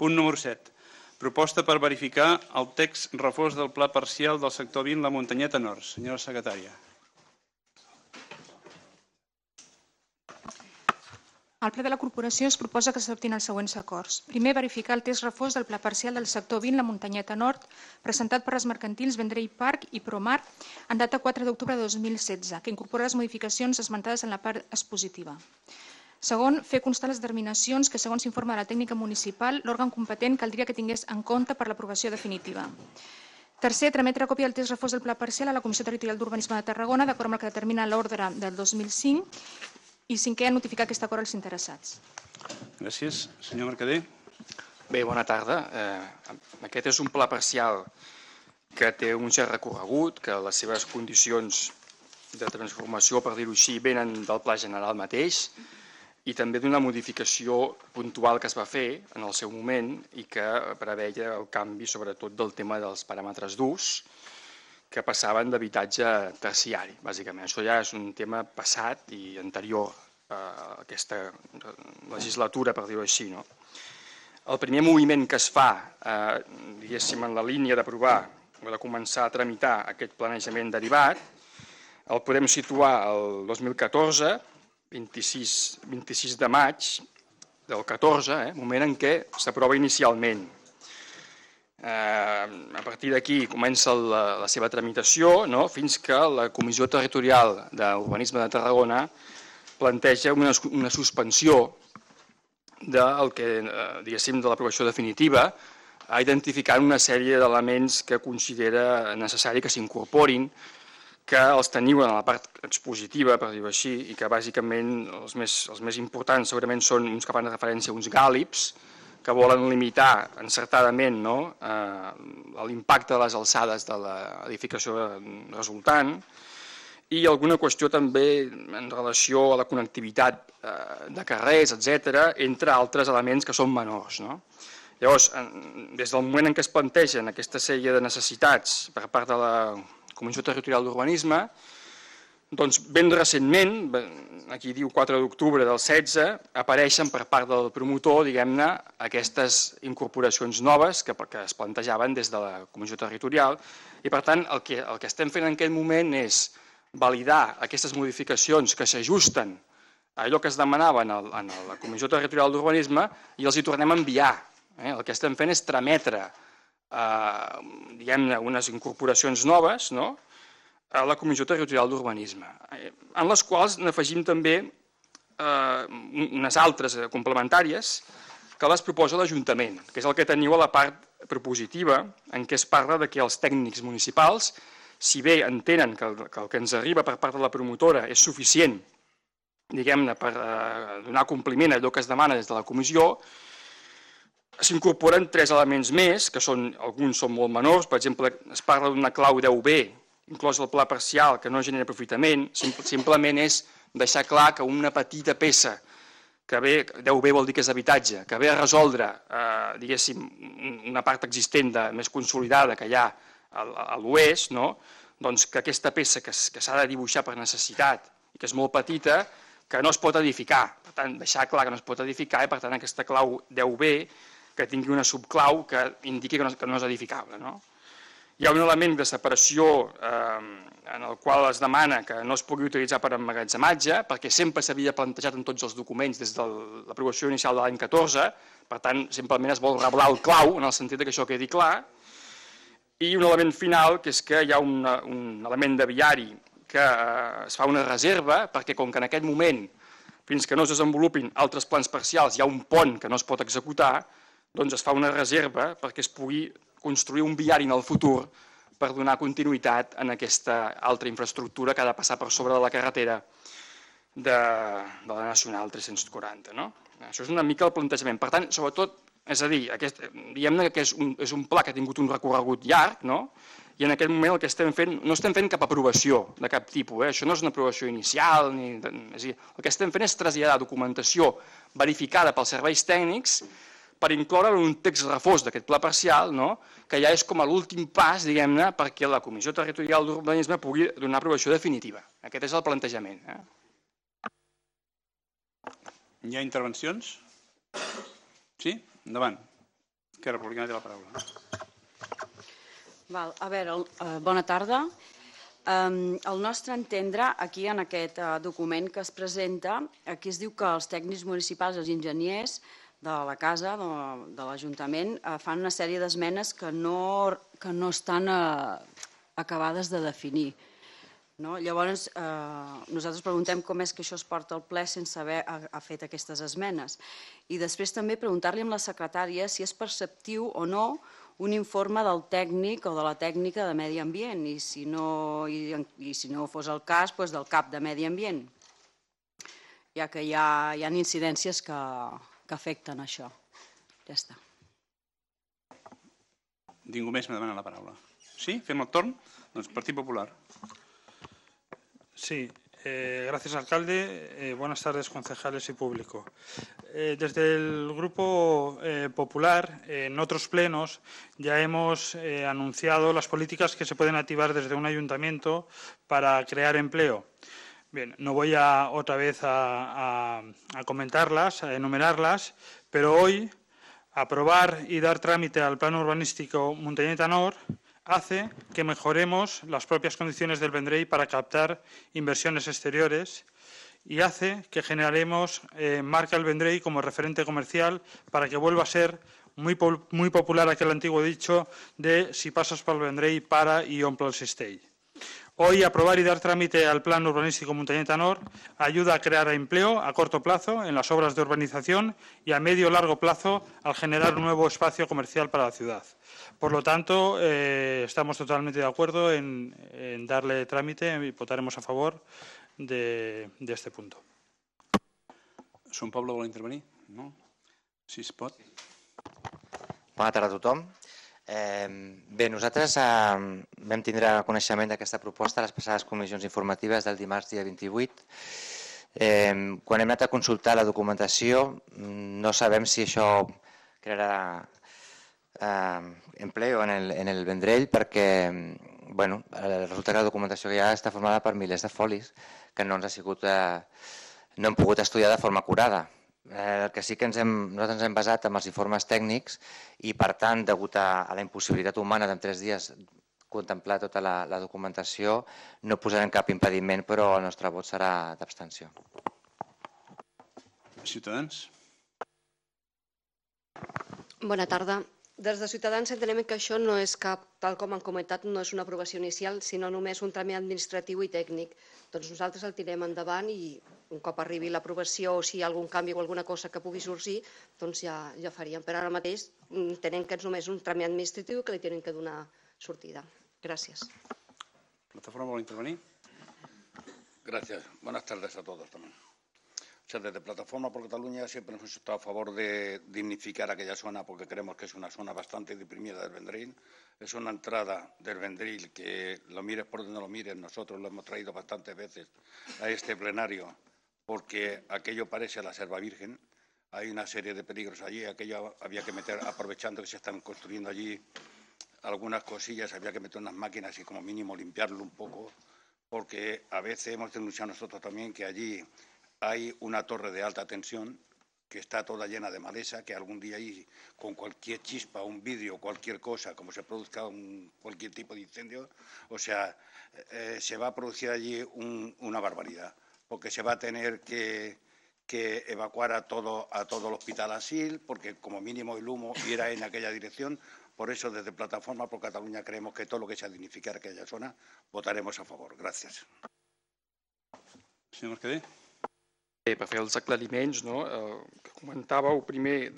Punt número 7. Proposta per verificar el text refós del pla parcial del sector 20 La Muntanyeta Nord. Senyora secretària. Al ple de la corporació es proposa que s'adoptin els següents acords. Primer, verificar el text refós del pla parcial del sector 20 La Muntanyeta Nord, presentat per les mercantils Vendrell Park i Promar en data 4 d'octubre de 2016, que incorpora les modificacions esmentades en la part expositiva. Segon, fer constar les determinacions que, segons s'informa de la tècnica municipal, l'òrgan competent caldria que tingués en compte per l'aprovació definitiva. Tercer, trametre còpia del text refós del pla parcial a la Comissió Territorial d'Urbanisme de Tarragona, d'acord amb el que determina l'ordre del 2005, i cinquè, notificar aquest acord als interessats. Gràcies. Senyor Mercader. Bé, bona tarda. Aquest és un pla parcial que té un cert recorregut, que les seves condicions de transformació, per dir-ho així, venen del pla general mateix i també d'una modificació puntual que es va fer en el seu moment i que preveia el canvi sobretot del tema dels paràmetres d'ús que passaven d'habitatge terciari, bàsicament. Això ja és un tema passat i anterior a aquesta legislatura, per dir-ho així. El primer moviment que es fa, diguéssim, en la línia d'aprovar o de començar a tramitar aquest planejament derivat, el podem situar el 2014, 26 de maig del 14, moment en què s'aprova inicialment. A partir d'aquí comença la seva tramitació fins que la Comissió Territorial d'Urbanisme de Tarragona planteja una suspensió del que, diguéssim, de l'aprovació definitiva, identificant una sèrie d'elements que considera necessari que s'incorporin, que els teniu en la part expositiva, per dir-ho així, i que bàsicament els més importants segurament són uns que fan referència a uns gàlips, que volen limitar encertadament l'impacte de les alçades de l'edificació resultant i alguna qüestió també en relació a la connectivitat de carrers, etc., entre altres elements que són menors. Llavors, des del moment en què es plantegen aquesta sèrie de necessitats per part de la Comissió Territorial d'Urbanisme, doncs ben recentment, aquí diu 4 d'octubre del 16, apareixen per part del promotor, diguem-ne, aquestes incorporacions noves que es plantejaven des de la Comissió Territorial i, per tant, el que estem fent en aquest moment és validar aquestes modificacions que s'ajusten a allò que es demanava en la Comissió Territorial d'Urbanisme i els hi tornem a enviar. El que estem fent és trametre, diguem-ne, unes incorporacions noves, a la Comissió Territorial d'Urbanisme, en les quals n'afegim també unes altres complementàries que les proposa l'Ajuntament, que és el que teniu a la part propositiva, en què es parla que els tècnics municipals, si bé entenen que el que ens arriba per part de la promotora és suficient, diguem-ne, per donar compliment a allò que es demana des de la comissió, s'incorporen 3 elements més, que alguns són molt menors, per exemple, es parla d'una clau 10B, inclòs el pla parcial, que no genera aprofitament, simplement és deixar clar que una petita peça, que ve, 10B vol dir que és habitatge, que ve a resoldre, diguéssim, una part existent més consolidada que hi ha a l'oest, doncs que aquesta peça que s'ha de dibuixar per necessitat i que és molt petita, que no es pot edificar. Per tant, deixar clar que no es pot edificar i, per tant, aquesta clau 10B que tingui una subclau que indiqui que no és edificable. Hi ha un element de separació en el qual es demana que no es pugui utilitzar per emmagatzematge, perquè sempre s'havia plantejat en tots els documents des de l'aprovació inicial de l'any 14, per tant, simplement es vol reblar el clau, en el sentit que això quedi clar, i un element final, que és que hi ha un element de viari que es fa una reserva, perquè com que en aquest moment, fins que no es desenvolupin altres plans parcials, hi ha un pont que no es pot executar, doncs es fa una reserva perquè es pugui construir un viari en el futur per donar continuïtat en aquesta altra infraestructura que ha de passar per sobre de la carretera de la Nacional 340. Això és una mica el plantejament. Per tant, sobretot, és a dir, diguem-ne que és un pla que ha tingut un recorregut llarg, i en aquest moment el que estem fent, no estem fent cap aprovació de cap tipus, això no és una aprovació inicial, és a dir, el que estem fent és traslladar documentació verificada pels serveis tècnics per incloure en un text refós d'aquest pla parcial, que ja és com a l'últim pas, diguem-ne, perquè la Comissió Territorial d'Urbanisme pugui donar aprovació definitiva. Aquest és el plantejament. Hi ha intervencions? Sí? Endavant. Esquerra Republicana té la paraula. A veure, bona tarda. Al nostre entendre, aquí en aquest document que es presenta, aquí es diu que els tècnics municipals, els enginyers de la casa, de l'Ajuntament, fan una sèrie d'esmenes que no estan acabades de definir. Llavors, nosaltres preguntem com és que això es porta al ple sense haver fet aquestes esmenes. I després també preguntar-li a la secretària si és perceptiu o no un informe del tècnic o de la tècnica de medi ambient i si no fos el cas, del cap de medi ambient, ja que hi ha incidències que afecten això. Ja està. Ningú més me demana la paraula. Sí? Fem el torn? Doncs Partit Popular. Sí, gracias alcalde. Buenas tardes concejales y público. Desde el Grupo Popular, en otros plenos, ya hemos anunciado las políticas que se pueden activar desde un ayuntamiento para crear empleo. Bien, no voy otra vez a comentarlas, a enumerarlas, pero hoy aprobar y dar trámite al Plan Urbanístico Montañeta-Nord hace que mejoremos las propias condiciones del Vendrell para captar inversiones exteriores y hace que generemos marca el Vendrell como referente comercial para que vuelva a ser muy popular aquel antiguo dicho de si pasas por el Vendrell, para y omple el cistell. Hoy aprobar y dar trámite al Plan Urbanístico Montañeta-Nord ayuda a crear empleo a corto plazo en las obras de urbanización y a medio y largo plazo al generar un nuevo espacio comercial para la ciudad. Por lo tanto, estamos totalmente de acuerdo en darle trámite y votaremos a favor de este punto. Son Pablo vol intervenir? No? Si es pot. Bona tarda a tothom. Bé, nosaltres vam tindre coneixement d'aquesta proposta a les passades comissions informatives del dimarts dia 28. Quan hem anat a consultar la documentació no sabem si això crearà empleo en el Vendrell perquè resulta que la documentació que hi ha està formada per milers de folis que no hem pogut estudiar de forma acurada. El que sí que nosaltres ens hem basat en els informes tècnics i, per tant, degut a la impossibilitat humana d'en 3 dies contemplar tota la documentació, no posarem cap impediment, però el nostre vot serà d'abstenció. Ciutadans. Bona tarda. Des de Ciutadans entenem que això no és cap, tal com han comentat, no és una aprovació inicial, sinó només un tràmit administratiu i tècnic. Doncs nosaltres el tirem endavant i un cop arribi l'aprovació o si hi ha algun canvi o alguna cosa que pugui sorgir, doncs ja faríem. Però ara mateix entenem que és només un tràmit administratiu que li tenen que donar sortida. Gràcies. Plataforma vol intervenir? Gracias. Buenas tardes a todos también. Desde Plataforma por Cataluña siempre hemos estado a favor de dignificar aquella zona porque creemos que es una zona bastante deprimida del Vendrell. Es una entrada del Vendrell que lo mires por donde lo mires, nosotros lo hemos traído bastantes veces a este plenario porque aquello parece la Selva Virgen. Hay una serie de peligros allí, aquello había que meter, aprovechando que se están construyendo allí algunas cosillas, había que meter unas máquinas y como mínimo limpiarlo un poco porque a veces hemos denunciado nosotros también que allí hay una torre de alta tensión que está toda llena de maleza, que algún día ahí, con cualquier chispa, un vidrio, cualquier cosa, como se produzca cualquier tipo de incendio, o sea, se va a producir allí una barbaridad, porque se va a tener que evacuar a todo el hospital Asil, porque como mínimo el humo irá en aquella dirección. Por eso, desde Plataforma por Cataluña, creemos que todo lo que sea dignificar aquella zona, votaremos a favor. Gràcies. Senyor Mercader. Per fer els aclariments, que comentàveu primer,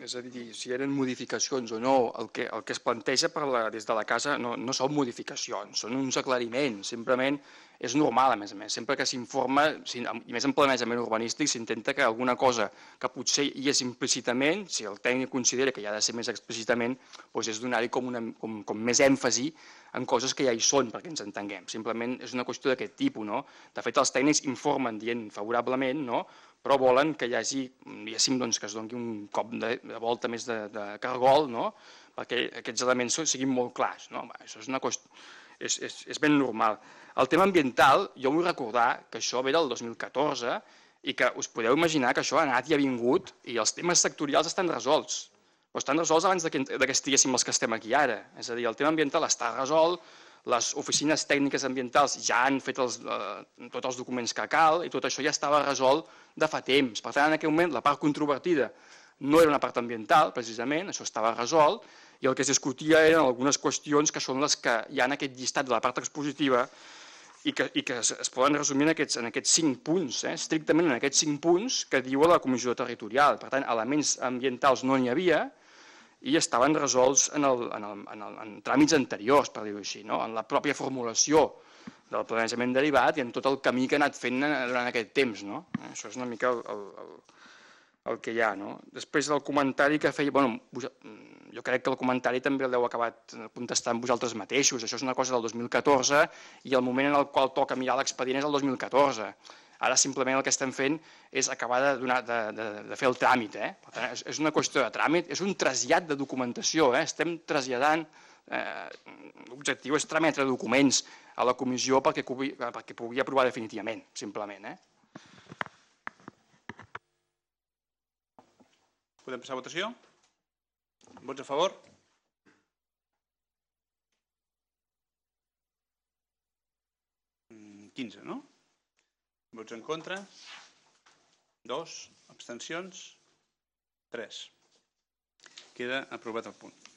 és a dir, si eren modificacions o no, el que es planteja des de la casa no són modificacions, són uns aclariments, simplement és normal, a més, sempre que s'informa, i més en planejament urbanístic, s'intenta que alguna cosa que potser hi és implícitament, si el tècnic considera que hi ha de ser més explícitament, és donar-hi com més èmfasi en coses que ja hi són, perquè ens entenguem. Simplement és una qüestió d'aquest tipus. De fet, els tècnics informen dient favorablement, però volen que hi hagi, diguéssim, que es doni un cop de volta més de cargol, perquè aquests elements siguin molt clars. Això és una qüestió, és ben normal. El tema ambiental, jo vull recordar que això ve del 2014 i que us podeu imaginar que això ha anat i ha vingut i els temes sectorials estan resolts. però estan resolts abans que estiguéssim els que estem aquí ara. És a dir, el tema ambiental està resolt, les oficines tècniques ambientals ja han fet tots els documents que cal i tot això ja estava resolt de fa temps. Per tant, en aquell moment, la part controvertida no era una part ambiental, precisament, això estava resolt, i el que es discutia eren algunes qüestions que són les que hi ha en aquest llistat de la part expositiva i que es poden resumir en aquests 5 punts, estrictament en aquests 5 punts que diu la Comissió Territorial. Per tant, elements ambientals no n'hi havia i estaven resolts en tràmits anteriors, per dir-ho així, en la pròpia formulació del planejament derivat i en tot el camí que ha anat fent durant aquest temps. Això és una mica el que hi ha. Després del comentari que feia, jo crec que el comentari també l'heu acabat contestant vosaltres mateixos. Això és una cosa del 2014 i el moment en el qual toca mirar l'expedient és el 2014. Ara simplement el que estem fent és acabar de fer el tràmit. Per tant, és una qüestió de tràmit, és un trasllat de documentació. Estem traslladant, l'objectiu és trametre documents a la comissió perquè pugui aprovar definitivament, simplement. Podem passar a votació? Vots a favor? Mm, 15, no? Vots en contra? 2. Abstencions? 3. Queda aprovat el punt.